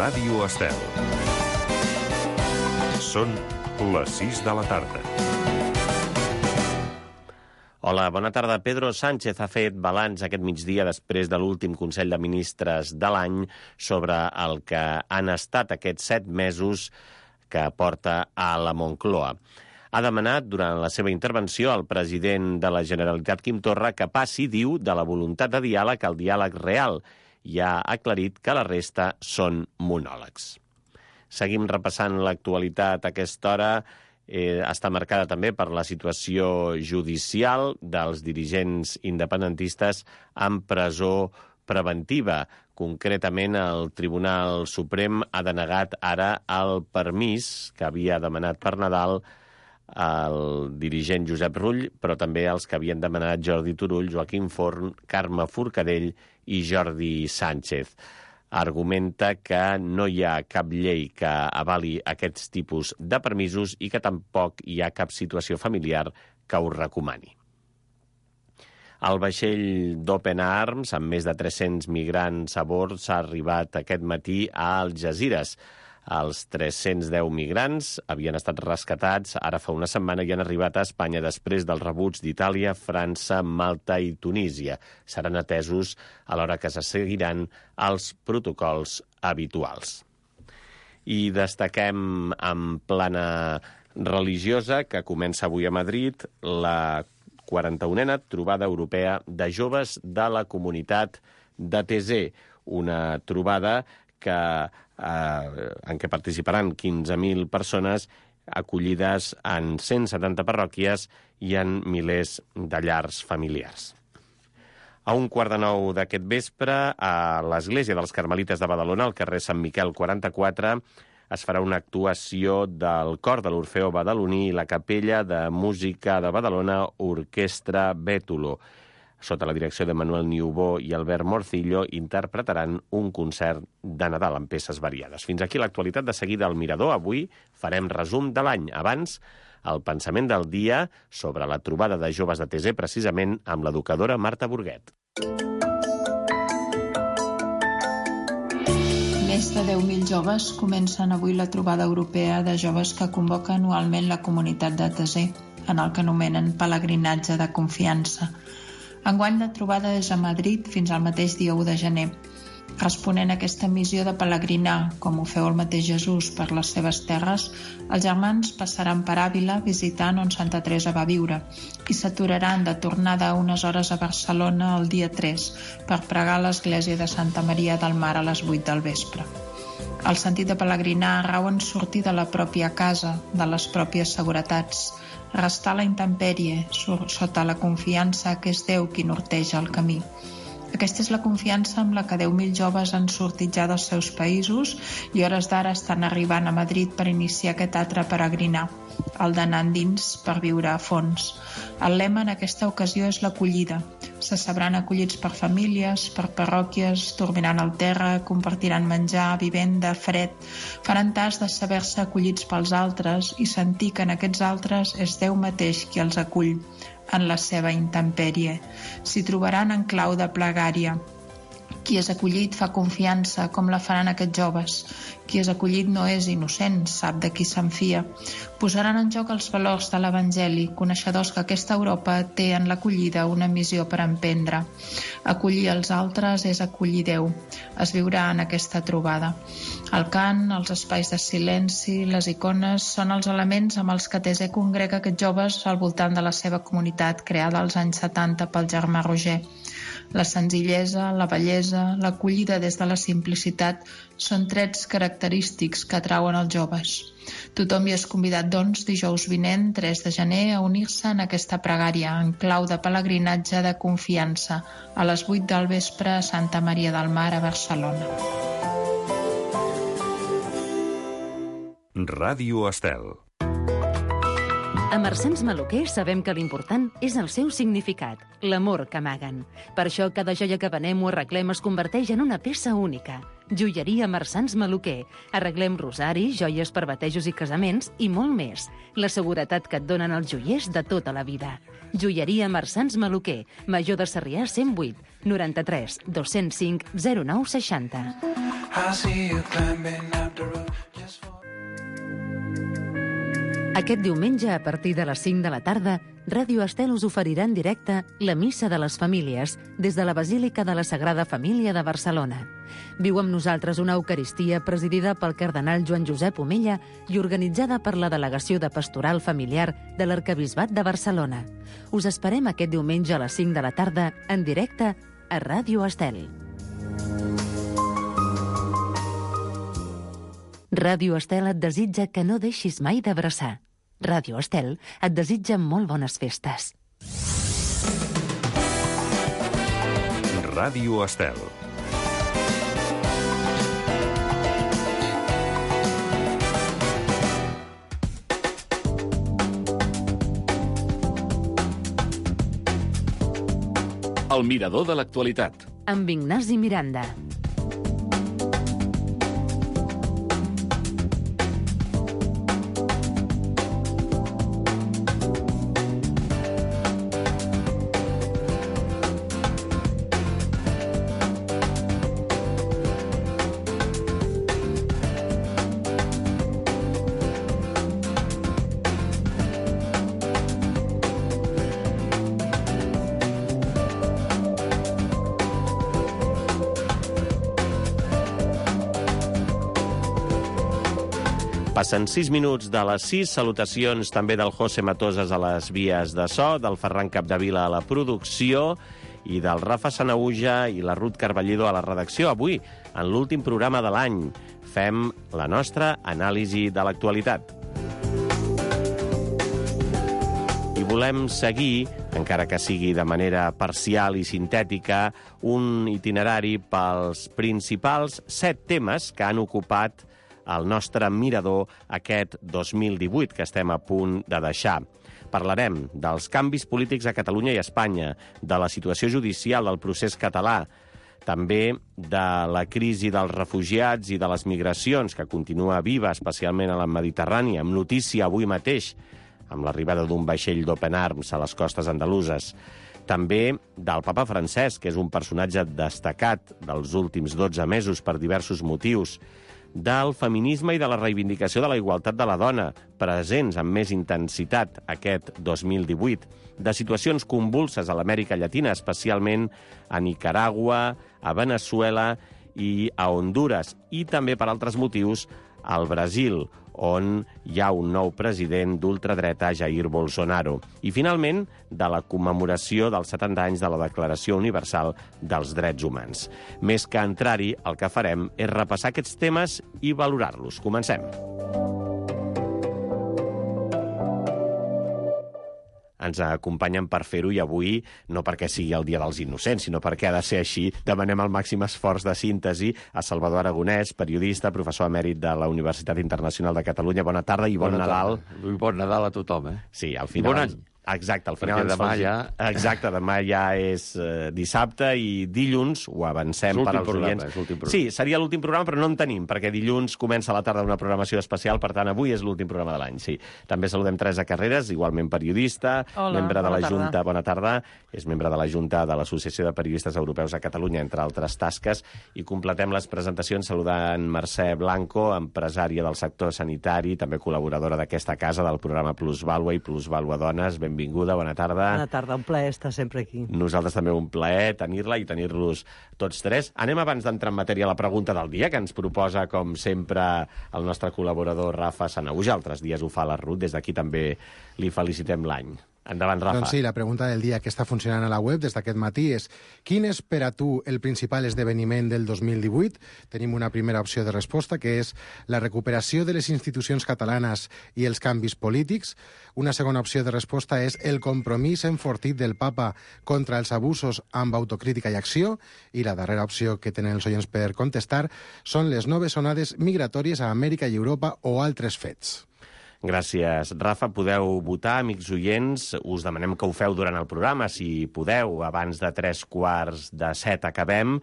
Ràdio Estel. Són les 6 de la tarda. Hola, bona tarda. Pedro Sánchez ha fet balanç aquest migdia després de l'últim Consell de Ministres de l'any sobre el que han estat aquests 7 mesos que porta a la Moncloa. Ha demanat, durant la seva intervenció, al president de la Generalitat, Quim Torra, que passi, diu, de la voluntat de diàleg al diàleg real, i ha aclarit que la resta són monòlegs. Seguim repassant l'actualitat a aquesta hora. Està marcada també per la situació judicial dels dirigents independentistes en presó preventiva. Concretament, el Tribunal Suprem ha denegat ara el permís que havia demanat per Nadal el dirigent Josep Rull, però també els que havien demanat Jordi Turull, Joaquim Forn, Carme Forcadell i Jordi Sánchez. Argumenta que no hi ha cap llei que avali aquests tipus de permisos i que tampoc hi ha cap situació familiar que ho recomani. El vaixell d'Open Arms, amb més de 300 migrants a bord, s'ha arribat aquest matí a Algesires. Els 310 migrants havien estat rescatats ara fa una setmana i han arribat a Espanya després dels rebuts d'Itàlia, França, Malta i Tunísia. Seran atesos alhora que se seguiran els protocols habituals. I destaquem en plana religiosa, que comença avui a Madrid, la 41a trobada europea de joves de la comunitat de Taizé, una trobada en què participaran 15.000 persones acollides en 170 parròquies i en milers de llars familiars. A 8:45 d'aquest vespre, a l'Església dels Carmelites de Badalona, al carrer Sant Miquel 44, es farà una actuació del cor de l'Orfeó Badaloní i la Capella de Música de Badalona, Orquestra Bètolo. Sota la direcció de Manuel Niubó i Albert Morcillo, interpretaran un concert de Nadal amb peces variades. Fins aquí l'actualitat. De seguida al Mirador. Avui farem resum de l'any. Abans, el pensament del dia sobre la trobada de joves de Taizé, precisament amb l'educadora Marta Burguet. Més de 10.000 joves comencen avui la trobada europea de joves que convoca anualment la comunitat de Taizé, en el que anomenen pelegrinatge de confiança. Enguany la trobada és a Madrid fins al mateix dia 1 de gener. Responent a aquesta missió de pelegrinar, com ho feu el mateix Jesús per les seves terres, els germans passaran per Àvila visitant on Santa Teresa va viure i s'aturaran de tornada unes hores a Barcelona el dia 3 per pregar a l'església de Santa Maria del Mar a les 8 del vespre. El sentit de pelegrinar rau en sortir de la pròpia casa, de les pròpies seguretats, restar a la intempèrie, sota la confiança que és Déu qui norteja el camí. Aquesta és la confiança amb la que 10.000 joves han sortit ja dels seus països i hores d'ara estan arribant a Madrid per iniciar aquest altre peregrinar, el d'anar endins per viure a fons. El lema en aquesta ocasió és l'acollida. Se sabran acollits per famílies, per parròquies, dormiran al terra, compartiran menjar, vivenda, fred, faran tas de saber-se acollits pels altres i sentir que en aquests altres és Déu mateix qui els acull en la seva intempèrie. S'hi trobaran en clau de plegària. Qui és acollit fa confiança, com la faran aquests joves. Qui és acollit no és innocent, sap de qui se'n fia. Posaran en joc els valors de l'Evangeli, coneixedors que aquesta Europa té en l'acollida una missió per emprendre. Acollir els altres és acollir Déu. Es viurà en aquesta trobada. El cant, els espais de silenci, les icones són els elements amb els que Taizé congrega aquests joves al voltant de la seva comunitat creada als anys 70 pel germà Roger. La senzillesa, la bellesa, l'acollida des de la simplicitat són trets característics que atrauen els joves. Tothom hi és convidat, doncs, dijous vinent, 3 de gener, a unir-se en aquesta pregària en clau de pelegrinatge de confiança a les 8 del vespre a Santa Maria del Mar, a Barcelona. Ràdio Estel. A Marsans Maluquer sabem que l'important és el seu significat, l'amor que amaguen. Per això cada joia que venem o arreglem es converteix en una peça única. Joieria Marsans Maluquer. Arreglem rosaris, joies per batejos i casaments i molt més. La seguretat que et donen els joiers de tota la vida. Joieria Marsans Maluquer. Major de Sarrià 108 93 205 0960. Aquest diumenge, a partir de les 5 de la tarda, Ràdio Estel us oferirà en directe la Missa de les Famílies des de la Basílica de la Sagrada Família de Barcelona. Viu amb nosaltres una Eucaristia presidida pel cardenal Joan Josep Omella i organitzada per la Delegació de Pastoral Familiar de l'Arquebisbat de Barcelona. Us esperem aquest diumenge a les 5 de la tarda en directe a Ràdio Estel. Ràdio Estel et desitja que no deixis mai d'abraçar. Ràdio Estel et desitja molt bones festes. Ràdio Estel. El mirador de l'actualitat. Amb Ignasi Miranda. Passen 6 minuts de les 6. Salutacions també del José Matosas a les vies de so, del Ferran Capdevila a la producció i del Rafa Sanahuja i la Ruth Carballido a la redacció. Avui, en l'últim programa de l'any, fem la nostra anàlisi de l'actualitat. I volem seguir, encara que sigui de manera parcial i sintètica, un itinerari pels principals 7 temes que han ocupat el nostre mirador aquest 2018, que estem a punt de deixar. Parlarem dels canvis polítics a Catalunya i Espanya, de la situació judicial del procés català, també de la crisi dels refugiats i de les migracions, que continua viva, especialment a la Mediterrània, amb notícia avui mateix, amb l'arribada d'un vaixell d'Open Arms a les costes andaluses. També del papa Francesc, que és un personatge destacat dels últims 12 mesos per diversos motius, del feminisme i de la reivindicació de la igualtat de la dona, presents amb més intensitat aquest 2018, de situacions convulses a l'Amèrica Llatina, especialment a Nicaragua, a Venezuela i a Hondures, i també, per altres motius, al Brasil, on hi ha un nou president d'ultradreta, Jair Bolsonaro. I, finalment, de la commemoració dels 70 anys de la Declaració Universal dels Drets Humans. Més que entrar-hi, el que farem és repassar aquests temes i valorar-los. Comencem. Ens acompanyen per fer-ho i avui, no perquè sigui el Dia dels Innocents, sinó perquè ha de ser així, demanem el màxim esforç de síntesi a Salvador Aragonès, periodista, professor emèrit de la Universitat Internacional de Catalunya. Bona tarda i bon Nadal. Bon Nadal a tothom, eh? Sí, al final... Bon any. Exacte, al final... Perquè demà ja... Exacte, demà ja és dissabte i dilluns, ho avancem per als oients. És l'últim programa. Sí, seria l'últim programa, però no en tenim, perquè dilluns comença a la tarda una programació especial, per tant, avui és l'últim programa de l'any, sí. També saludem Teresa Carreras, igualment periodista, membre de la Junta... Bona tarda. És membre de la Junta de l'Associació de Periodistes Europeus a Catalunya, entre altres tasques, i completem les presentacions saludant Mercè Blanco, empresària del sector sanitari, també col·laboradora d'aquesta casa, del programa Plusvàlua i Plusvàlua Dones. Benvinguda, bona tarda. Bona tarda, un plaer estar sempre aquí. Nosaltres també un plaer tenir-la i tenir-los tots tres. Anem abans d'entrar en matèria a la pregunta del dia, que ens proposa, com sempre, el nostre col·laborador Rafa Sanahuja. Altres dies ho fa la Ruth, des d'aquí també li felicitem l'any. Endavant, Rafa. Doncs sí, la pregunta del dia que està funcionant a la web des d'aquest matí és: quin és per a tu el principal esdeveniment del 2018? Tenim una primera opció de resposta, que és la recuperació de les institucions catalanes i els canvis polítics. Una segona opció de resposta és el compromís enfortit del papa contra els abusos amb autocrítica i acció. I la darrera opció que tenen els oients per contestar són les noves onades migratòries a Amèrica i Europa o altres fets. Gràcies, Rafa. Podeu votar, amics oients. Us demanem que ho feu durant el programa, si podeu, abans de 3:15 acabem.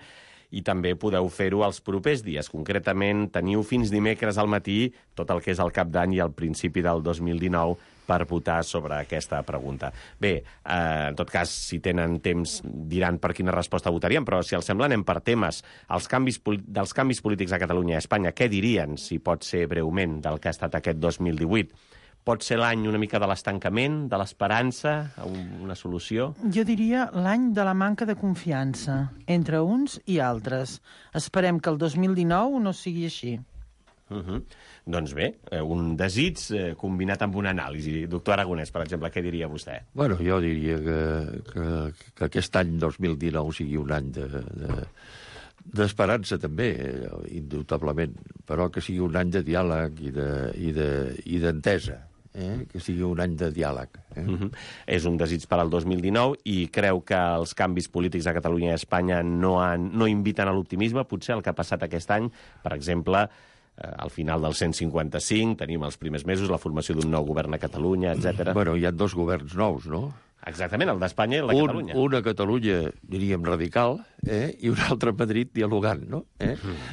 i també podeu fer-ho els propers dies. Concretament, teniu fins dimecres al matí tot el que és el cap d'any i el principi del 2019 per votar sobre aquesta pregunta. Bé, en tot cas, si tenen temps, diran per quina resposta votarien, però si els sembla, anem per temes. Dels canvis polítics a Catalunya i a Espanya, què dirien, si pot ser breument, del que ha estat aquest 2018? Pot ser l'any una mica de l'estancament, de l'esperança, una solució? Jo diria l'any de la manca de confiança entre uns i altres. Esperem que el 2019 no sigui així. Doncs bé, un desig combinat amb una anàlisi. Doctor Aragonès, per exemple, què diria vostè? Bueno, jo diria que aquest any 2019 sigui un any d'esperança també, indubtablement, però que sigui un any de diàleg i d'entesa, que sigui un any de diàleg. És un desig per al 2019 i creu que els canvis polítics a Catalunya i a Espanya no inviten a l'optimisme, potser el que ha passat aquest any, per exemple, al final del 155, tenim els primers mesos, la formació d'un nou govern a Catalunya, etc. Bueno, hi ha 2 governs nous, no? Exactament, el d'Espanya i el de Catalunya. Un a Catalunya, diríem, radical, i un altre a Madrid dialogant, no?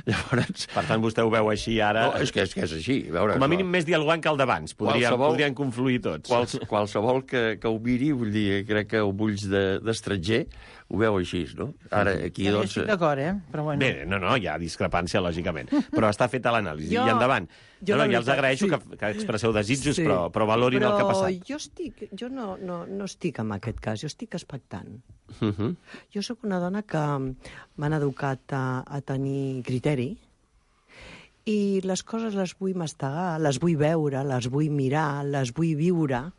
Llavors... Per tant, vostè ho veu així ara... No, és que és així. Veure, com a mínim més dialogant que el d'abans. Podrien confluir tots. Qualsevol que ho miri, vull dir, crec que amb ulls d'estranger ho veu així, no? Ara, aquí, doncs... Estic d'acord, però bueno... Bé, no, hi ha discrepància, lògicament. Però està feta l'anàlisi. I endavant. Ja els agraeixo que expresseu desitjos, però valorin el que ha passat. Jo no estic en aquest cas, jo estic expectant. Jo sóc una dona que m'han educat a tenir criteri i les coses les vull mastegar, les vull veure, les vull mirar, les vull viure,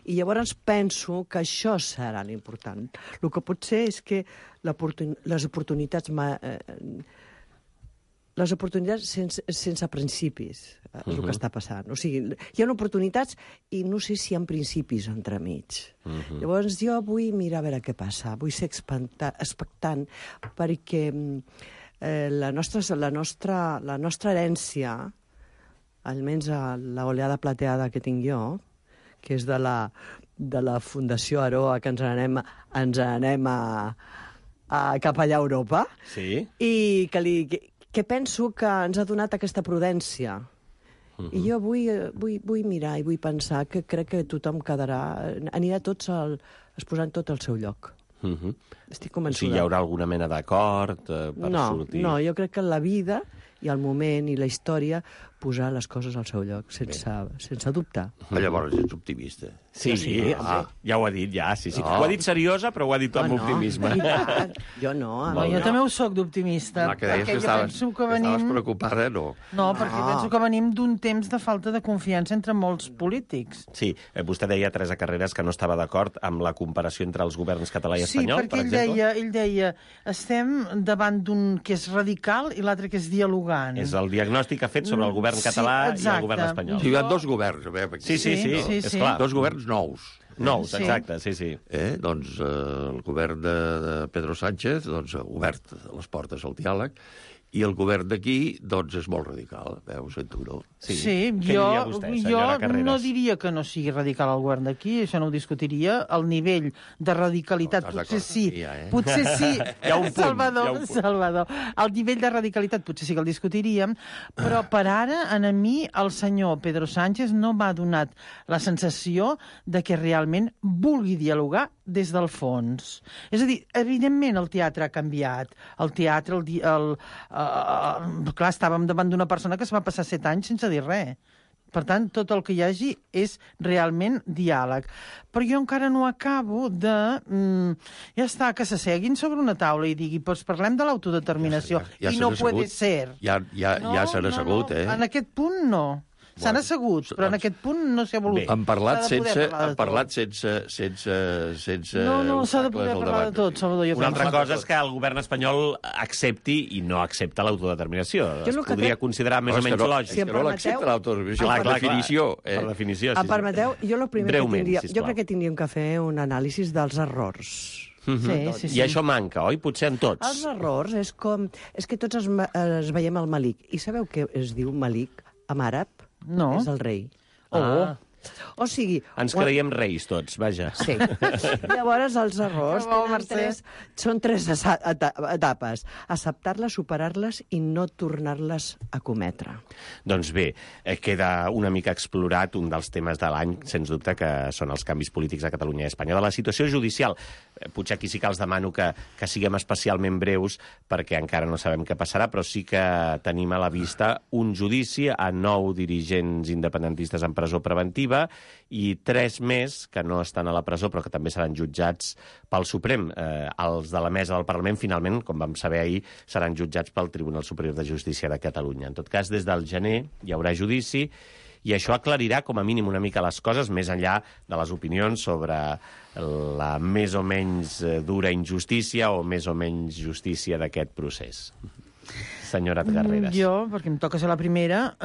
i llavors penso que això serà l'important. El que pot ser és que les oportunitats sense principis, és el que està passant. O sigui, hi ha oportunitats i no sé si hi ha principis entremig. Llavors jo vull mirar a veure què passa, vull ser expectant perquè la nostra herència, almenys l'oleada plateada que tinc jo, que és de la Fundació Aroa, que ens anem cap allà a Europa, sí. I que penso que ens ha donat aquesta prudència. I jo vull mirar i vull pensar que crec que tothom anirà tots posant tot al seu lloc. Estic convençuda. O sigui, hi haurà alguna mena d'acord per sortir? No, jo crec que la vida i el moment i la història posar les coses al seu lloc, sense dubtar. Llavors ets optimista. Sí, ja ho ha dit, sí. No. Ho ha dit seriosa, però ho ha dit amb optimisme. Jo no. Jo també ho soc d'optimista. Que deies que estaves preocupada, no? No, perquè penso que venim d'un temps de falta de confiança entre molts polítics. Sí, vostè deia, Teresa Carreras, que no estava d'acord amb la comparació entre els governs català i espanyol, per exemple. Sí, perquè ell deia, estem davant d'un que és radical i l'altre que és dialogant. És el diagnòstic que ha fet sobre el govern català i el govern espanyol. Hi ha 2 governs. Sí, és clar. 2 governs nous. Exacte, sí. Doncs el govern de Pedro Sánchez ha obert les portes al diàleg, i el govern d'aquí, doncs, és molt radical. Veus, tu, no? Sí, jo no diria que no sigui radical el govern d'aquí, això no ho discutiria. El nivell de radicalitat, potser sí. Potser sí, Salvador. El nivell de radicalitat potser sí que el discutiríem, però per ara, a mi, el senyor Pedro Sánchez no m'ha donat la sensació de que realment vulgui dialogar des del fons. És a dir, evidentment el teatre ha canviat. El teatre, clar, estàvem davant d'una persona que es va passar 7 anys sense dir res. Per tant, tot el que hi hagi és realment diàleg. Però jo encara no acabo de... ja està, que s'asseguin sobre una taula i digui, doncs parlem de l'autodeterminació. I no puede ser. Ja s'han assegut, En aquest punt, no. S'han assegut, però en aquest punt no s'ha volut. Han parlat sense... No, s'ha de poder parlar de tot, Salvador. Una altra cosa és que el govern espanyol accepti i no accepta l'autodeterminació. Es podria considerar més o menys lògic. Si no l'accepta l'autodeterminació, per definició. Per definició, sí. Em permeteu? Jo crec que tindríem que fer un anàlisi dels errors. Sí. I això manca, oi? Potser en tots. Els errors és que tots es veiem el Malik. I sabeu què es diu Malik en àrab? No. És el rei. O sigui... Ens creiem reis tots, vaja. Sí. Llavors, els errors són tres etapes. Acceptar-les, superar-les i no tornar-les a cometre. Doncs bé, queda una mica explorat un dels temes de l'any, sens dubte, que són els canvis polítics a Catalunya i Espanya. De la situació judicial, potser aquí sí que els demano que siguem especialment breus, perquè encara no sabem què passarà, però sí que tenim a la vista un judici a 9 dirigents independentistes en presó preventiva i 3 més que no estan a la presó però que també seran jutjats pel Suprem. Els de la mesa del Parlament, finalment, com vam saber ahir, seran jutjats pel Tribunal Superior de Justícia de Catalunya. En tot cas, des del gener hi haurà judici i això aclarirà com a mínim una mica les coses, més enllà de les opinions sobre la més o menys dura injustícia o més o menys justícia d'aquest procés. Senyora Carreras. Jo, perquè em toca ser la primera,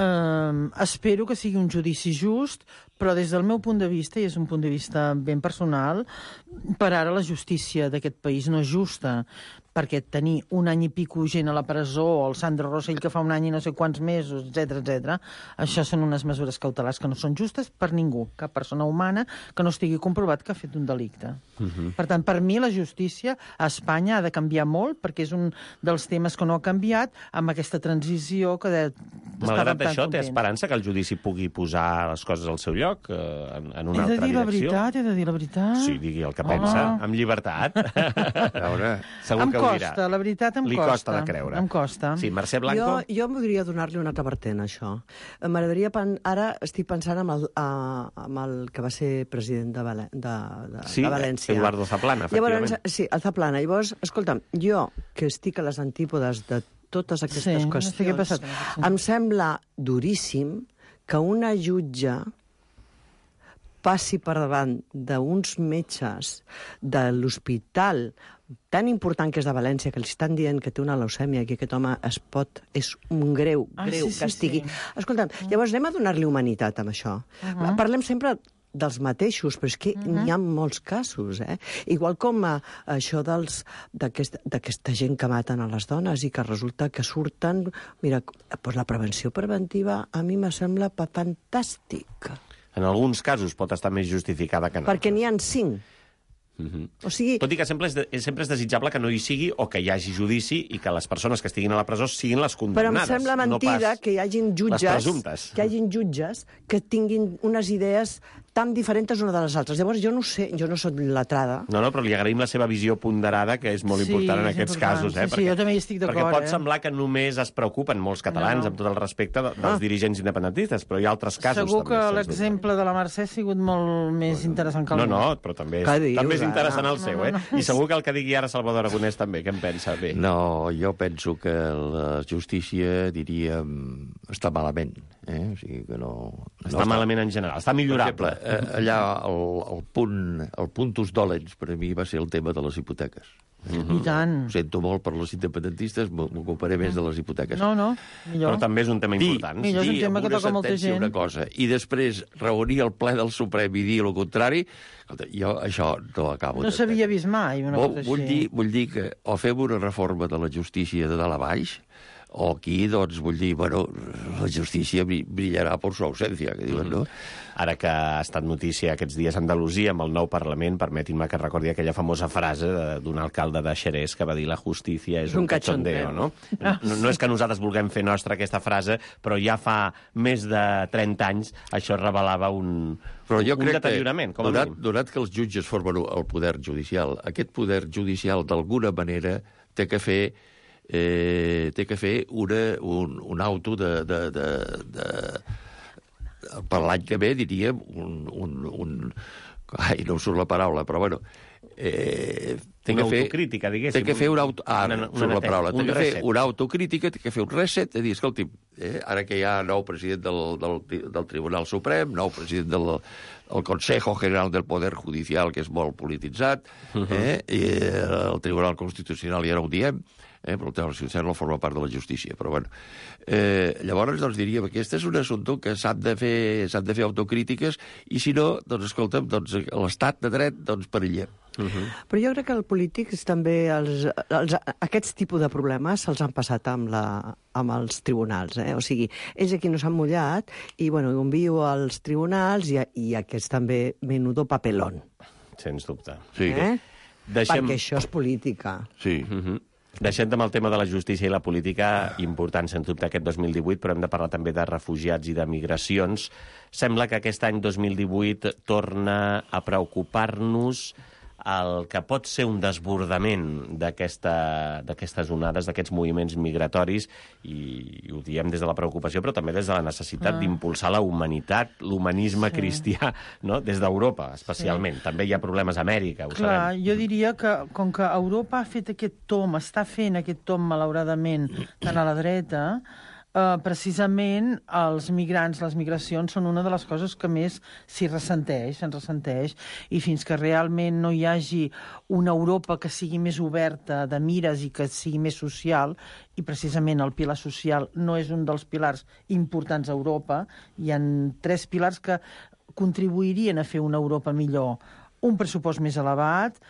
espero que sigui un judici just, però des del meu punt de vista, i és un punt de vista ben personal, per ara la justícia d'aquest país no és justa, perquè tenir un any i pico gent a la presó, o el Sandro Rosell que fa un any i no sé quants mesos, etc, això són unes mesures cautelars que no són justes per ningú, cap persona humana que no estigui comprovat que ha fet un delicte. Per tant, per mi la justícia a Espanya ha de canviar molt, perquè és un dels temes que no ha canviat amb aquesta transició que malgrat això, té esperança que el judici pugui posar les coses al seu lloc en una altra direcció? He de dir la veritat. Sí, digui el que pensa, amb llibertat. A veure, segur que ho dirà. La veritat em costa. Li costa de creure. Em costa. Sí, Mercè Blanco? Jo voldria donar-li un altre vertent, a això. M'agradaria... Ara estic pensant amb el que va ser president de València. Sí, Eduardo Zaplana, efectivament. Llavors, sí, el Zaplana. Llavors, escolta'm, jo, que estic a les antípodes de totes aquestes qüestions, em sembla duríssim que una jutge passi per davant d'uns metges de l'hospital tan important que és de València, que li estan dient que té una leucèmia, que aquest home és un greu castigui. Escolta'm, llavors anem a donar-li humanitat amb això. Parlem sempre dels mateixos, però és que n'hi ha molts casos, Igual com això d'aquesta gent que maten a les dones i que resulta que surten... Mira, doncs la prevenció preventiva a mi me sembla fantàstica. En alguns casos pot estar més justificada que no. Perquè n'hi ha 5. O sigui... Tot i que sempre és desitjable que no hi sigui o que hi hagi judici i que les persones que estiguin a la presó siguin les condemnades. Però em sembla mentida que hi hagin jutges que tinguin unes idees tan diferents una de les altres. Llavors, jo no sé, jo no soc letrada. No, però li agraïm la seva visió ponderada, que és molt important en aquests casos. Sí, jo també hi estic d'acord. Perquè pot semblar que només es preocupen molts catalans, amb tot el respecte dels dirigents independentistes, però hi ha altres casos. Segur que l'exemple de la Mercè ha sigut molt més interessant que el meu. No, però també és interessant el seu, I segur que el que digui ara Salvador Aragonès també, què en pensa? Bé. No, jo penso que la justícia, diríem, està malament. O sigui que no... Està malament en general, està millorable. Per exemple, allà el puntus dolens per a mi va ser el tema de les hipoteques. I tant. Ho sento molt per les independentistes, m'ocuparé més de les hipoteques. No, millor. Però també és un tema important. Millor és un tema que toca molta gent. Una cosa, i després reunir el ple del Suprem i dir el contrari, jo això no acabo. No s'havia vist mai una cosa així. Vull dir que o fem una reforma de la justícia de dalt a baix, o aquí, doncs, vull dir, la justícia brillarà per su ausència, que diuen, no? Ara que ha estat notícia aquests dies a Andalusia amb el nou Parlament, permetin-me que recordi aquella famosa frase d'un alcalde de Xerès que va dir la justícia és un cachondeo, no? No és que nosaltres vulguem fer nostra aquesta frase, però ja fa més de 30 anys això revelava un deteriorament, com a mínim. Donat que els jutges formen el poder judicial, aquest poder judicial d'alguna manera té que fer un auto per l'any que ve, diríem, ai, no em surt la paraula, però bueno... Una autocrítica, diguéssim. Té que fer una autocrítica, té que fer un reset, de dir, escolti, ara que hi ha nou president del Tribunal Suprem, nou president del Consejo General del Poder Judicial, que és molt polititzat, i el Tribunal Constitucional ja no ho diem, però el Tribunal Constitucional no forma part de la justícia, però bueno. Llavors, doncs, diríem, aquest és un assumpte que s'han de fer autocrítiques, i si no, doncs, escolta'm, doncs, l'estat de dret, doncs, perilla. Però jo crec que el polítics també, aquests tipus de problemes se'ls han passat amb els tribunals. O sigui, ells aquí no s'han mullat i, bueno, ho envio als tribunals i aquests també menudo papelón. Sens dubte. Sí. Perquè això és política. Sí. Deixem amb el tema de la justícia i la política, important, sens dubte, aquest 2018, però hem de parlar també de refugiats i de migracions. Sembla que aquest any 2018 torna a preocupar-nos el que pot ser un desbordament d'aquestes onades, d'aquests moviments migratoris, i ho diem des de la preocupació, però també des de la necessitat d'impulsar la humanitat, l'humanisme cristià, no? Des d'Europa, especialment. També hi ha problemes a Amèrica, ho sabem. Jo diria que, com que Europa ha fet aquest tomb, està fent aquest tomb, malauradament, tant a la dreta, precisament els migrants, les migracions, són una de les coses que més se'n ressenteix, i fins que realment no hi hagi una Europa que sigui més oberta de mires i que sigui més social, i precisament el pilar social no és un dels pilars importants a Europa, hi ha 3 pilars que contribuirien a fer una Europa millor. Un pressupost més elevat,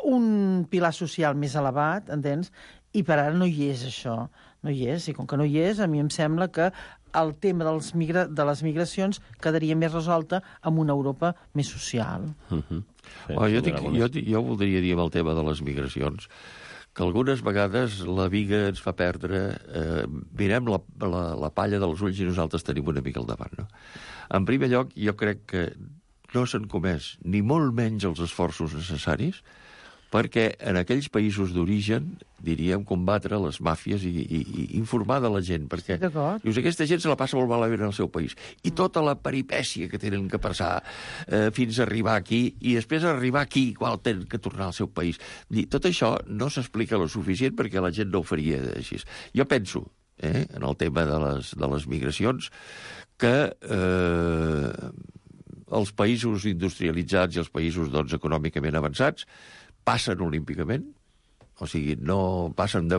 un pilar social més elevat, entens? I per ara no hi és això, no hi és, i com que no hi és, a mi em sembla que el tema de les migracions quedaria més resolta amb una Europa més social. Jo voldria dir amb el tema de les migracions que algunes vegades la viga ens fa perdre... mirem la palla dels ulls i nosaltres tenim una mica al davant, no? En primer lloc, jo crec que no s'han comès ni molt menys els esforços necessaris perquè en aquells països d'origen, diríem, combatre les màfies i informar de la gent, perquè dius, aquesta gent se la passa molt malament en el seu país. I tota la peripècia que tenen que passar fins a arribar aquí, i després arribar aquí, igual tenen que tornar al seu país. Tot això no s'explica lo suficient perquè la gent no ho faria així. Jo penso, en el tema de les migracions, que els països industrialitzats i els països econòmicament avançats passen olímpicament, o sigui, no passen de...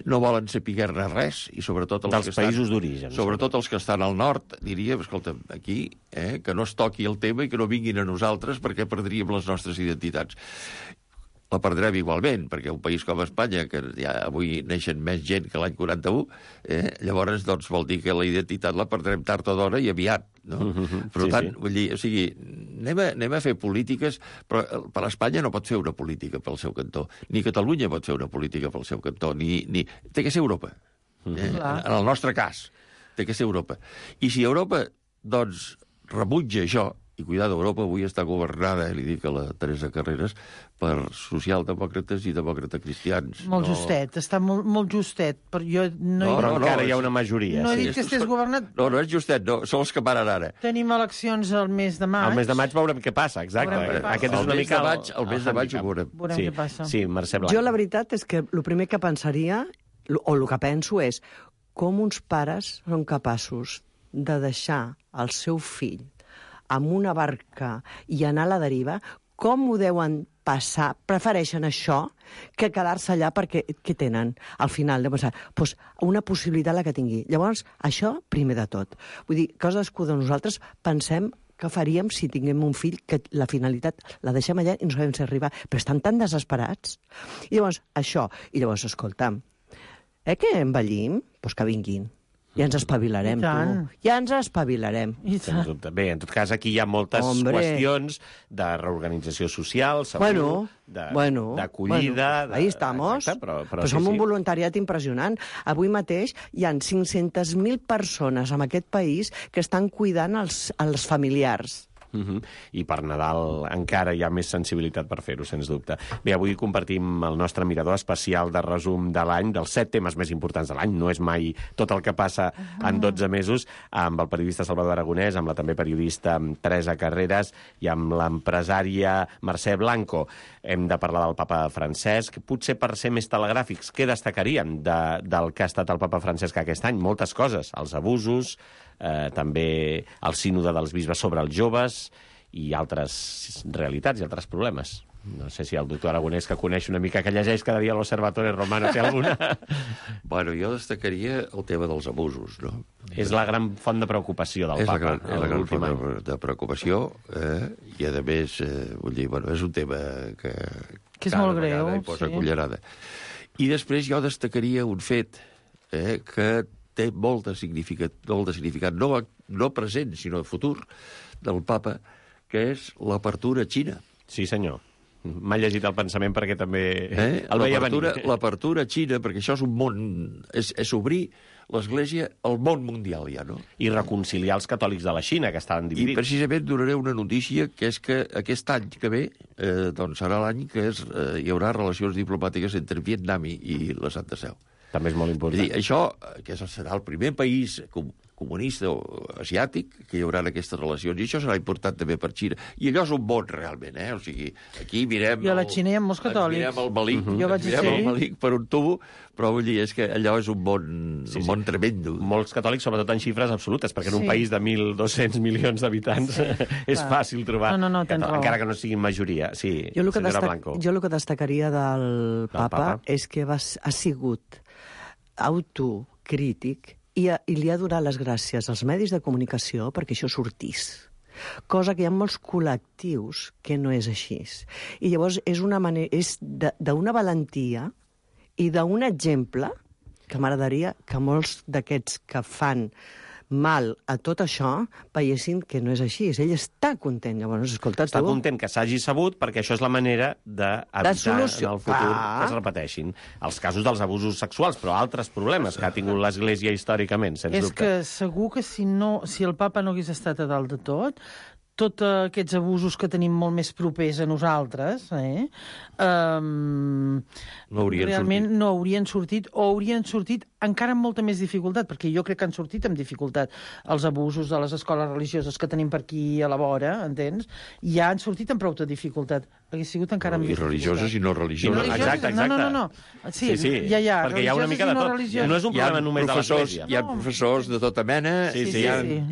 no volen saber res, i sobretot els dels països d'origen. Sobretot els que estan al nord, diríem, escolta, aquí, que no es toqui el tema i que no vinguin a nosaltres perquè perdríem les nostres identitats. La perdrem igualment, perquè un país com Espanya, que ja avui neixen més gent que l'any 41, llavors doncs, vol dir que la identitat la perdrem tard o d'hora i aviat. No? Per tant, vull dir, o sigui, anem a fer polítiques, però per Espanya no pot fer una política pel seu cantó, ni Catalunya pot fer una política pel seu cantó, ni... Té que ser Europa. En el nostre cas, té que ser Europa. I si Europa, doncs, rebutja això, i cuidado, Europa avui està governada, li dic a la Teresa Carreras, per socialdemòcrates i demòcrates cristians. Molt justet, està molt justet. Però encara hi ha una majoria. No he dit que estigués governat... No és justet, són els que paren ara. Tenim eleccions al mes de maig. Al mes de maig veurem què passa, exacte. Aquest és una mica... El mes de maig ho veurem. Veurem què passa. Sí, Mercè Blanco. Jo la veritat és que el primer que pensaria, o el que penso és, com uns pares són capaços de deixar el seu fill amb una barca i anar a la deriva, com ho deuen passar? Prefereixen això que quedar-se allà perquè què tenen al final de pensar? Doncs una possibilitat la que tingui. Llavors, això primer de tot. Vull dir, cadascú de nosaltres pensem què faríem si tinguem un fill que la finalitat la deixem allà i no sabem si arribar. Però estan tan desesperats. I llavors, això. I llavors, escolta'm, que envellim? Doncs que vinguin. Ja ens espavilarem, tu. Ja ens espavilarem. Sens dubte. Bé, en tot cas, aquí hi ha moltes qüestions de reorganització social, segur, d'acollida... Ahí estamos. Però som un voluntariat impressionant. Avui mateix hi ha 500.000 persones en aquest país que estan cuidant els familiars. I per Nadal encara hi ha més sensibilitat per fer-ho, sens dubte. Bé, avui compartim el nostre mirador especial de resum de l'any, dels 7 temes més importants de l'any, no és mai tot el que passa en 12 mesos, amb el periodista Salvador Aragonès, amb la també periodista Teresa Carreras i amb l'empresària Mercè Blanco. Hem de parlar del papa Francesc. Potser per ser més telegràfics, què destacaríem del que ha estat el papa Francesc aquest any? Moltes coses, els abusos, també el sínode dels bisbes sobre els joves i altres realitats i altres problemes. No sé si el doctor Aragonès, que coneix una mica, que llegeix cada dia l'Observatori Romano, té alguna... Bueno, jo destacaria el tema dels abusos, no? És la gran font de preocupació del papa. És la gran font de preocupació, i a més, vull dir, bueno, és un tema que Que és molt greu, i posa cullerada. I després jo destacaria un fet que té molt de significat no present, sinó futur, del papa, que és l'apertura a Xina. Sí, senyor. M'ha llegit el pensament perquè també el veia venir. L'apertura a Xina, perquè això és un món... És obrir l'Església al món mundial, ja, no? I reconciliar els catòlics de la Xina, que estaven dividits. I precisament donaré una notícia, que és que aquest any que ve, doncs serà l'any que hi haurà relacions diplomàtiques entre Vietnam i la Santa Seu. També és molt important. És dir, això, que serà el primer país comunista o asiàtic que hi haurà aquestes relacions, i això serà important també per Xina. I allò és un món, realment, O sigui, aquí mirem... I a la Xina hi ha molts catòlics. Mirem el malic per un tubo, però vull dir, és que allò és un món tremendo. Molts catòlics, sobretot en xifres absolutes, perquè en un país de 1.200 milions d'habitants és fàcil trobar, encara que no siguin majoria. Sí, senyora Blanco. Jo el que destacaria del papa és que ha sigut autocrític i li ha donat les gràcies als medis de comunicació perquè això sortís. Cosa que hi ha molts col·lectius que no és així. I llavors és d'una valentia i d'un exemple que m'agradaria que molts d'aquests que fan mal a tot això veiessin que no és així. Ell està content. Llavors, escolta, està content que s'hagi sabut, perquè això és la manera d'evitar en el futur que es repeteixin els casos dels abusos sexuals, però altres problemes que ha tingut l'Església històricament, sens dubte. És que segur que si el papa no hagués estat a dalt de tots aquests abusos que tenim molt més propers a nosaltres, realment no haurien sortit, o haurien sortit encara amb molta més dificultat, perquè jo crec que han sortit amb dificultat els abusos de les escoles religioses que tenim per aquí a la vora, entens? Ja han sortit amb prou de dificultat. Hauria sigut encara amb dificultat. I religioses i no religioses. Exacte. No. Sí, ja. Perquè hi ha una mica de tot. No és un problema només de l'Església. Hi ha professors de tota mena, hi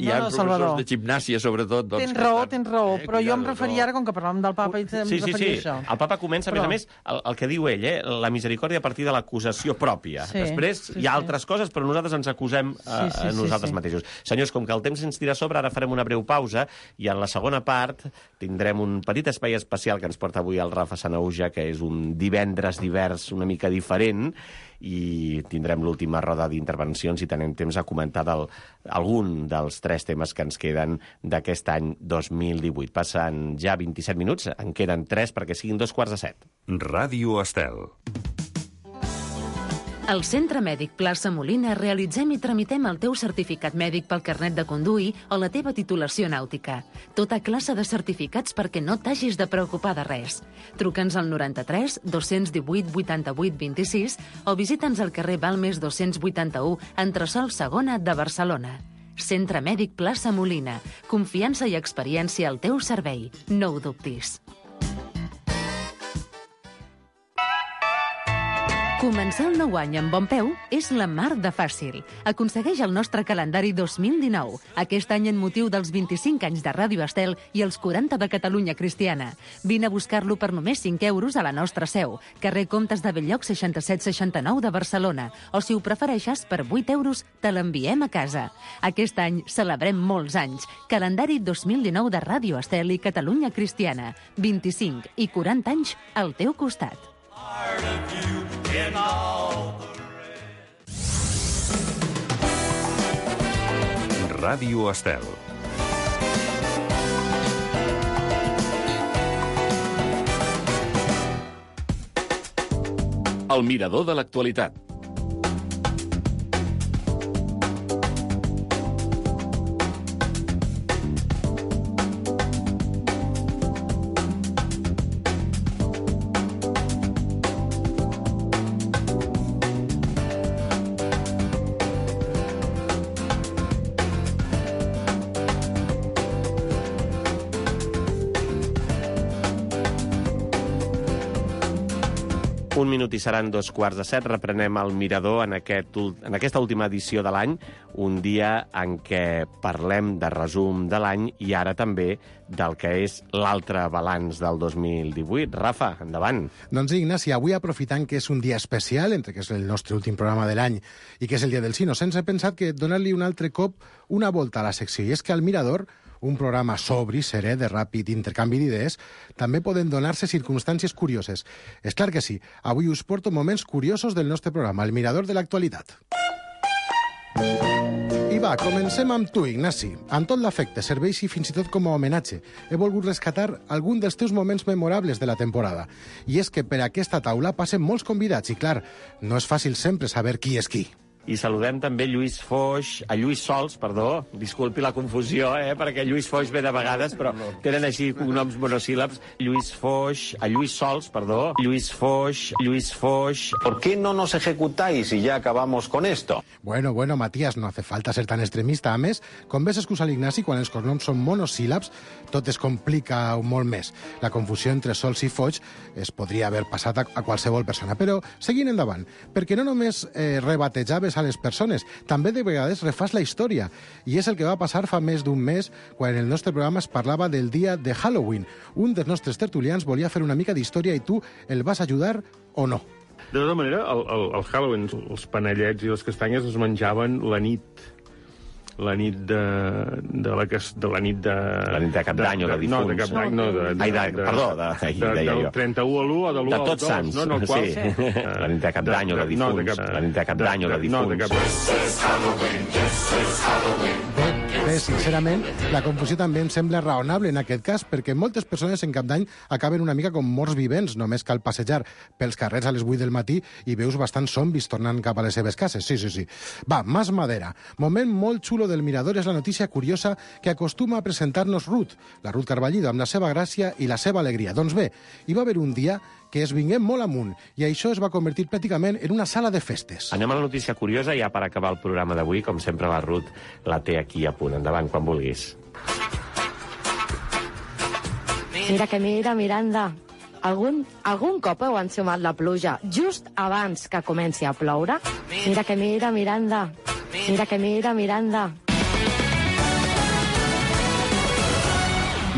ha professors de gimnàsia, sobretot. Tens raó, però jo em referia ara, com que parlàvem del papa, i em referia a això. El papa comença, a més a més, el que diu ell, la misericòrdia a partir de l'acusació pròpia. Després hi ha altres coses, però nosaltres ens acusem a nosaltres mateixos. Senyors, com que el temps ens tira a sobre, ara farem una breu pausa i en la segona part tindrem un petit espai especial que ens porta avui el Rafa Sanauja, que és un divendres divers una mica diferent, i tindrem l'última roda d'intervencions i tenem temps a comentar algun dels 3 temes que ens queden d'aquest any 2018. Passen ja 27 minuts, en queden 3 perquè siguin 2:45. Ràdio Estel. Al Centre Mèdic Plaça Molina realitzem i tramitem el teu certificat mèdic pel carnet de conduir o la teva titulació nàutica. Tota classe de certificats perquè no t'hagis de preocupar de res. Truca'ns al 93 218 88 26 o visita'ns al carrer Balmes 281, entresòl Segona de Barcelona. Centre Mèdic Plaça Molina. Confiança i experiència al teu servei. No ho dubtis. Començar el nou any amb bon peu és la mar de fàcil. Aconsegueix el nostre calendari 2019, aquest any en motiu dels 25 anys de Ràdio Estel i els 40 de Catalunya Cristiana. Vine a buscar-lo per només 5 euros a la nostra seu, carrer Comtes de Belllloc 6769 de Barcelona, o si ho prefereixes, per 8 euros te l'enviem a casa. Aquest any celebrem molts anys. Calendari 2019 de Ràdio Estel i Catalunya Cristiana. 25 i 40 anys al teu costat. Ràdio Estel. El mirador de l'actualitat. Un minut i seran 2:15. Reprenem el mirador en aquesta última edició de l'any, un dia en què parlem de resum de l'any i ara també del que és l'altre balanç del 2018. Rafa, endavant. Doncs Ignasi, avui aprofitant que és un dia especial, entre que és el nostre últim programa de l'any i que és el dia dels Innocents, he pensat que donar-li un altre cop una volta a la secció. I és que al mirador un programa sobri, serè, de ràpid intercanvi d'idees, també poden donar-se circumstàncies curioses. És clar que sí, avui us porto moments curiosos del nostre programa, el mirador de l'actualitat. I va, comencem amb tu, Ignasi. Amb tot l'afecte, serveix i fins i tot com a homenatge. He volgut rescatar algun dels teus moments memorables de la temporada. I és que per aquesta taula passen molts convidats i, clar, no és fàcil sempre saber qui és qui. I saludem també Lluís Sols, disculpi la confusió, perquè Lluís Foix ve de vegades, però tenen així cognoms monosíl·labs. Lluís Sols. ¿Por qué no nos ejecutáis y ya acabamos con esto? Bueno, Matías, no hace falta ser tan extremista. A més, com ves excusar l'Ignasi, quan els cognoms són monosíl·labs, tot es complica molt més. La confusió entre Sols i Foix es podria haver passat a qualsevol persona. Però seguint endavant, perquè no només rebatejaves a les persones, també de vegades refàs la història. I és el que va passar fa més d'un mes, quan en el nostre programa es parlava del dia de Halloween. Un dels nostres tertulians volia fer una mica d'història i tu el vas ajudar o no? De tota manera, el Halloween, els panellets i les castanyes es menjaven la nit de Cap d'any o de difunts. No, de Cap d'any, no. Del 31 a l'1 o de l'1 al 2. De Tots Sants. Sí. La nit de Cap d'any o de difunts. La nit de Cap d'any o de difunts. Bé, sincerament, la confusió també em sembla raonable en aquest cas, perquè moltes persones en Cap d'any acaben una mica com morts vivents, només cal passejar pels carrers a les 8 del matí i veus bastants zombis tornant cap a les seves cases. Sí. Va, más madera. Moment molt xulo del Mirador és la notícia curiosa que acostuma a presentar-nos Ruth, la Ruth Carballido, amb la seva gràcia i la seva alegria. Doncs bé, hi va haver un dia que es vinguem molt amunt, i això es va convertir pràcticament en una sala de festes. Anem a la notícia curiosa, ja per acabar el programa d'avui. Com sempre, la Ruth la té aquí a punt. Endavant, quan vulguis. Mira, Miranda. Algun cop heu ensumat la pluja just abans que comenci a ploure? Mira, Miranda. Miranda.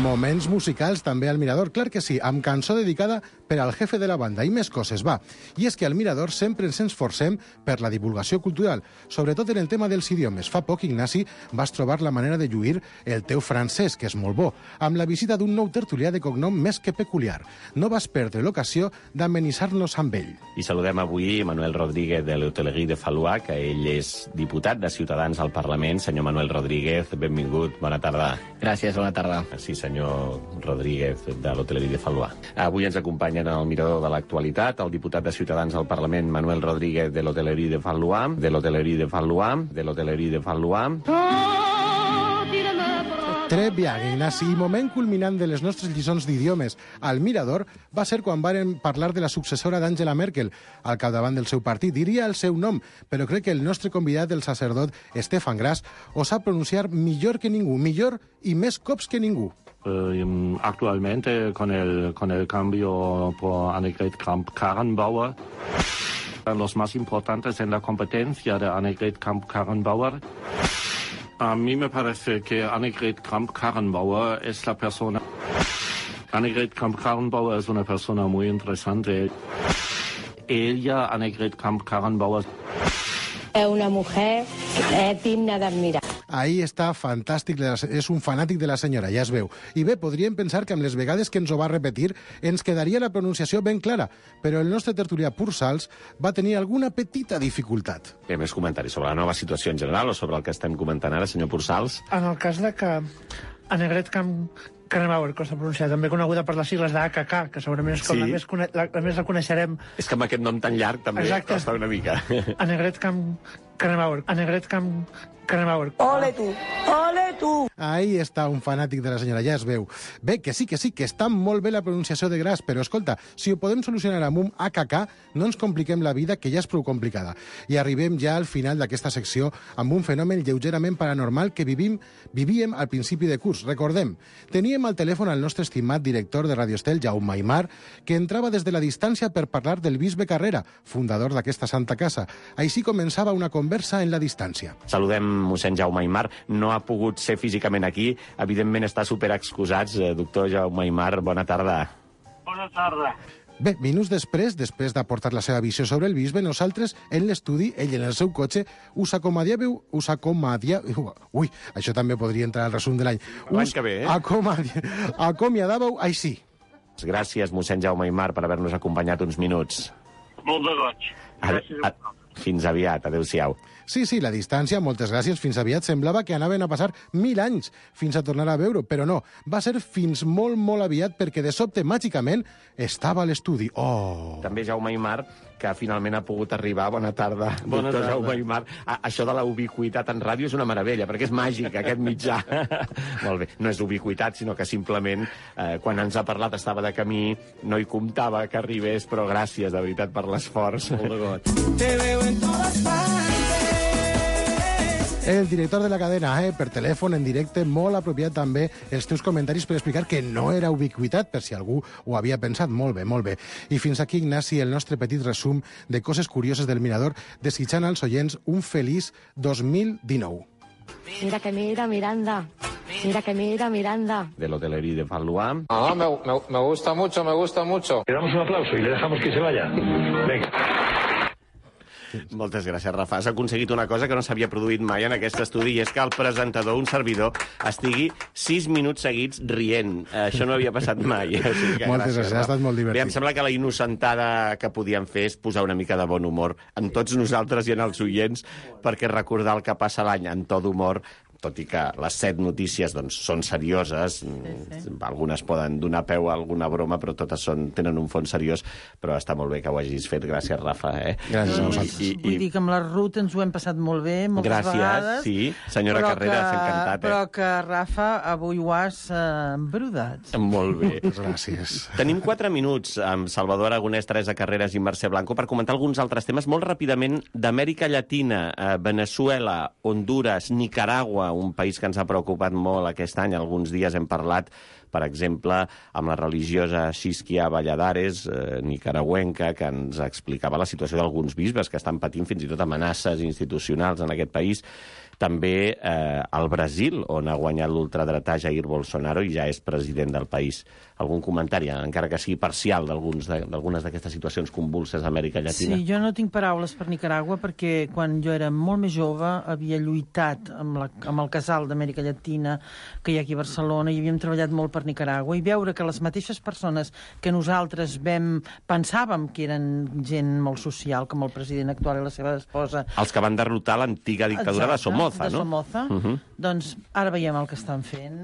Moments musicals també al Mirador, clar que sí, amb cançó dedicada per al jefe de la banda i més coses, va. I és que al Mirador sempre ens esforcem per la divulgació cultural, sobretot en el tema dels idiomes. Fa poc, Ignasi, vas trobar la manera de lluir el teu francès, que és molt bo, amb la visita d'un nou tertulià de cognom més que peculiar. No vas perdre l'ocasió d'amenitzar-nos amb ell. I saludem avui Manuel Rodríguez de l'Hotelerie de Fallois, que ell és diputat de Ciutadans al Parlament. Senyor Manuel Rodríguez, benvingut, bona tarda. Gràcies, bona tarda. Sí, senyor Rodríguez de l'Hotelerie de Fallois. Avui ens acompanyen al Mirador de l'actualitat el diputat de Ciutadans al Parlament, Manuel Rodríguez de l'Hotelerie de Fallois, Très bien, Ignasi. I moment culminant de les nostres lliçons d'idiomes al Mirador va ser quan varen parlar de la successora d'Angela Merkel al capdavant del seu partit. Diria el seu nom, però crec que el nostre convidat, el sacerdot Stefan Grass, ho sap pronunciar millor que ningú, millor i més cops que ningú. Actualmente, con el cambio por Annegret Kramp-Karrenbauer, los más importantes en la competencia de Annegret Kramp-Karrenbauer, a mí me parece que Annegret Kramp-Karrenbauer es la persona... Annegret Kramp-Karrenbauer es una persona muy interesante. Ella, Annegret Kramp-Karrenbauer... Es una mujer digna d'admirar. Ahí està, fantàstic, és un fanàtic de la senyora, ja es veu. I bé, podríem pensar que amb les vegades que ens ho va repetir ens quedaria la pronunciació ben clara, però el nostre tertulià Pursals va tenir alguna petita dificultat. Bé, més comentaris sobre la nova situació en general o sobre el que estem comentant ara, senyor Pursals? En el cas de que Annegret Kramp-Karrenbauer, que s'ha pronunciat, també coneguda per les sigles d'AKK, que segurament és com la més la coneixerem. És que amb aquest nom tan llarg també costa una mica. Annegret Kramp-Karrenbauer. Ole tu! Ahí està un fanàtic de la senyora, ja es veu. Bé, que sí, que està molt bé la pronunciació de Gras, però escolta, si ho podem solucionar amb un AKK, no ens compliquem la vida, que ja és prou complicada. I arribem ja al final d'aquesta secció amb un fenomen lleugerament paranormal que vivíem al principi de curs. Recordem, teníem al telèfon el nostre estimat director de Radio Estel, Jaume Aymar, que entrava des de la distància per parlar del bisbe Carrera, fundador d'aquesta santa casa. Així començava una conversa en la distància. Saludem mossèn Jaume Aymar. No ha pogut ser físicament aquí. Evidentment està superexcusats. Doctor Jaume Aymar, bona tarda. Bona tarda. Bé, minuts després d'aportar la seva visió sobre el bisbe, nosaltres, en l'estudi, ell en el seu cotxe, us acomiadàveu... Ui, això també podria entrar al resum de l'any. L'any que ve, Acomiadàveu així. Gràcies, mossèn Jaume Aymar, per haver-nos acompanyat uns minuts. Molt de goig. Gràcies. Fins aviat, adéu-siau. Sí, la distància, moltes gràcies, fins aviat semblava que anaven a passar 1000 anys fins a tornar a veure, però no, va ser fins molt, molt aviat perquè de sobte, màgicament, estava a l'estudi. Oh! També Jaume Aymar, que finalment ha pogut arribar. Bona tarda, doctor Jaume Aymar. Això de la ubiquitat en ràdio és una meravella, perquè és màgic, aquest mitjà. Molt bé, no és ubiquitat, sinó que simplement, quan ens ha parlat, estava de camí, no hi comptava que arribés, però gràcies, de veritat, per l'esforç. Molt de goig. Te veo en todas partes. El director de la cadena, per telèfon, en directe, molt apropiat també els teus comentaris per explicar que no era ubiquitat, per si algú ho havia pensat. Molt bé, molt bé. I fins aquí, Ignasi, el nostre petit resum de coses curioses del Mirador, desitjant als oients un feliç 2019. Mira que mira, Miranda. Mira que mira, Miranda. Del Hotellerie de Valois. Ah, me gusta mucho, me gusta mucho. Le damos un aplauso y le dejamos que se vaya. Venga. Moltes gràcies, Rafa. Has aconseguit una cosa que no s'havia produït mai en aquest estudi, i és que el presentador, un servidor, estigui 6 minuts seguits rient. Això no havia passat mai. O sigui que moltes gràcies, ha estat molt divertit. Bé, em sembla que la innocentada que podíem fer és posar una mica de bon humor en tots nosaltres i en els oients, perquè recordar el que passa l'any en to d'humor, tot i que les 7 notícies doncs, són serioses, algunes poden donar peu a alguna broma, però totes tenen un fons seriós, però està molt bé que ho hagis fet. Gràcies, Rafa. Gràcies a vosaltres. Vull dir que amb la Ruth ens ho hem passat molt bé, moltes vegades. Gràcies, sí. Senyora Carreras, encantat. Però que, Rafa, avui ho has embrudat. Molt bé. Gràcies. Tenim 4 minuts amb Salvador Aragonès, Teresa Carreras i Mercè Blanco per comentar alguns altres temes molt ràpidament d'Amèrica Llatina, Veneçuela, Honduras, Nicaragua, un país que ens ha preocupat molt aquest any. Alguns dies hem parlat, per exemple, amb la religiosa Xisquia Valladares, nicaragüenca, que ens explicava la situació d'alguns bisbes que estan patint fins i tot amenaces institucionals en aquest país. També al Brasil, on ha guanyat l'ultradretà Jair Bolsonaro i ja és president del país. Algun comentari, encara que sigui parcial, d'algunes d'aquestes situacions convulses a Amèrica Llatina? Sí, jo no tinc paraules per Nicaragua perquè quan jo era molt més jove havia lluitat amb el casal d'Amèrica Llatina que hi ha aquí a Barcelona i havíem treballat molt per Nicaragua, i veure que les mateixes persones que nosaltres pensàvem que eren gent molt social, com el president actual i la seva esposa... Els que van derrotar l'antiga dictadura de Somoza, no? De Somoza. Doncs ara veiem el que estan fent.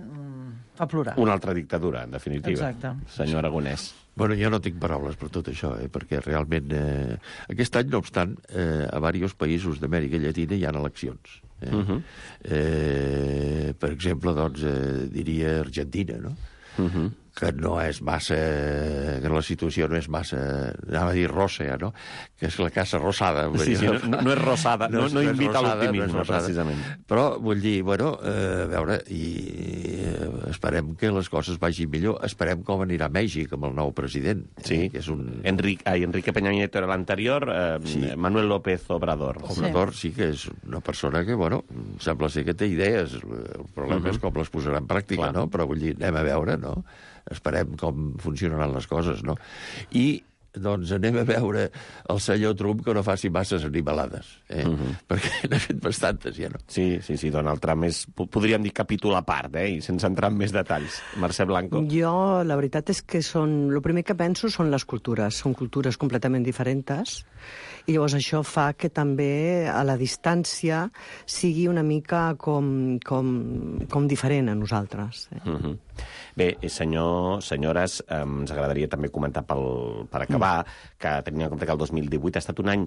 Fa plorar. Una altra dictadura, en definitiva. Exacte. Senyor Aragonès. Bueno, jo no tinc paraules per tot això, perquè realment aquest any, no obstant, a diversos països d'Amèrica Llatina hi ha eleccions. Per exemple, doncs, diria Argentina, no? Que no és massa... que la situació no és massa... anava a dir ròssea, no? Que és la casa rosada. Sí, no és rosada, no invita a l'optimisme, precisament. Però, vull dir, bueno, a veure, i esperem que les coses vagin millor. Esperem com anirà a Mèxic amb el nou president. Sí, que és un... Enrique Peña Nieto era l'anterior, Manuel López Obrador. Obrador sí que és una persona que, bueno, sembla ser que té idees. El problema és com les posarà en pràctica, no? Però, vull dir, anem a veure, no? Esperem com funcionaran les coses, no? I, doncs, anem a veure el senyor Trump que no faci masses animalades, perquè n'ha fet bastantes, ja, no? Sí, Donald Trump és, podríem dir, capítol a part, i sense entrar en més detalls. Mercè Blanco. Jo, la veritat és que el primer que penso són les cultures. Són cultures completament diferents, i llavors això fa que també a la distància sigui una mica com diferent a nosaltres. Bé, senyores, ens agradaria també comentar per acabar que tenint en compte que el 2018 ha estat un any,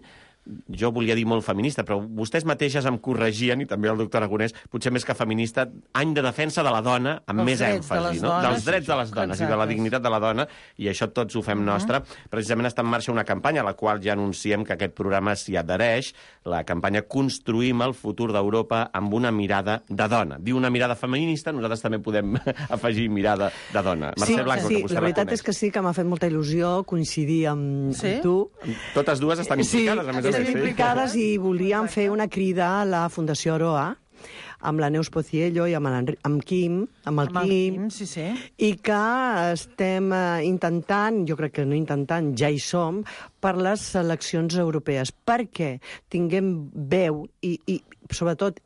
jo volia dir molt feminista, però vostès mateixes em corregien, i també el doctor Aragonès, potser més que feminista, any de defensa de la dona amb més èmfasi, no? Dels drets de les dones i de la dignitat de la dona, i això tots ho fem nostre. Precisament està en marxa una campanya a la qual ja anunciem que aquest programa s'hi adhereix, la campanya Construïm el futur d'Europa amb una mirada de dona. Diu una mirada feminista, nosaltres també podem afegir mirada de dona. Mercè Blanco, que vostè la veritat és que sí, que m'ha fet molta il·lusió coincidir amb tu. Totes dues estan implicades, a més a més. Estem implicades i volíem fer una crida a la Fundació Aroa amb la Neus Pociello i amb el Quim, sí. i que estem intentant, jo crec que no intentant, ja hi som, per les eleccions europees, perquè tinguem veu i sobretot,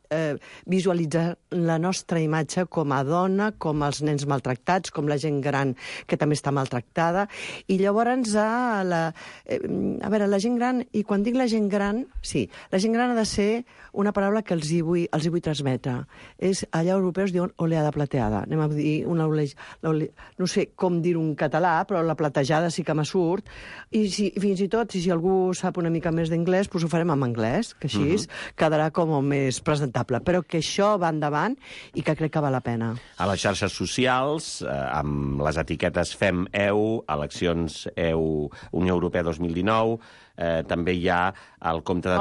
visualitzar la nostra imatge com a dona, com els nens maltractats, com la gent gran que també està maltractada. I llavors, la gent gran, i quan dic la gent gran, sí, la gent gran ha de ser una paraula que els hi vull transmetre. Allà europeus diuen oleada plateada. Anem a dir una no sé com dir-ho en català, però la platejada sí que me surt. I fins i tot, si algú sap una mica més d'anglès, doncs ho farem en anglès, que així quedarà com més presentable, però que això va endavant i que crec que val la pena. A les xarxes socials, amb les etiquetes Fem EU, eleccions EU Unió Europea 2019, també hi ha el compte de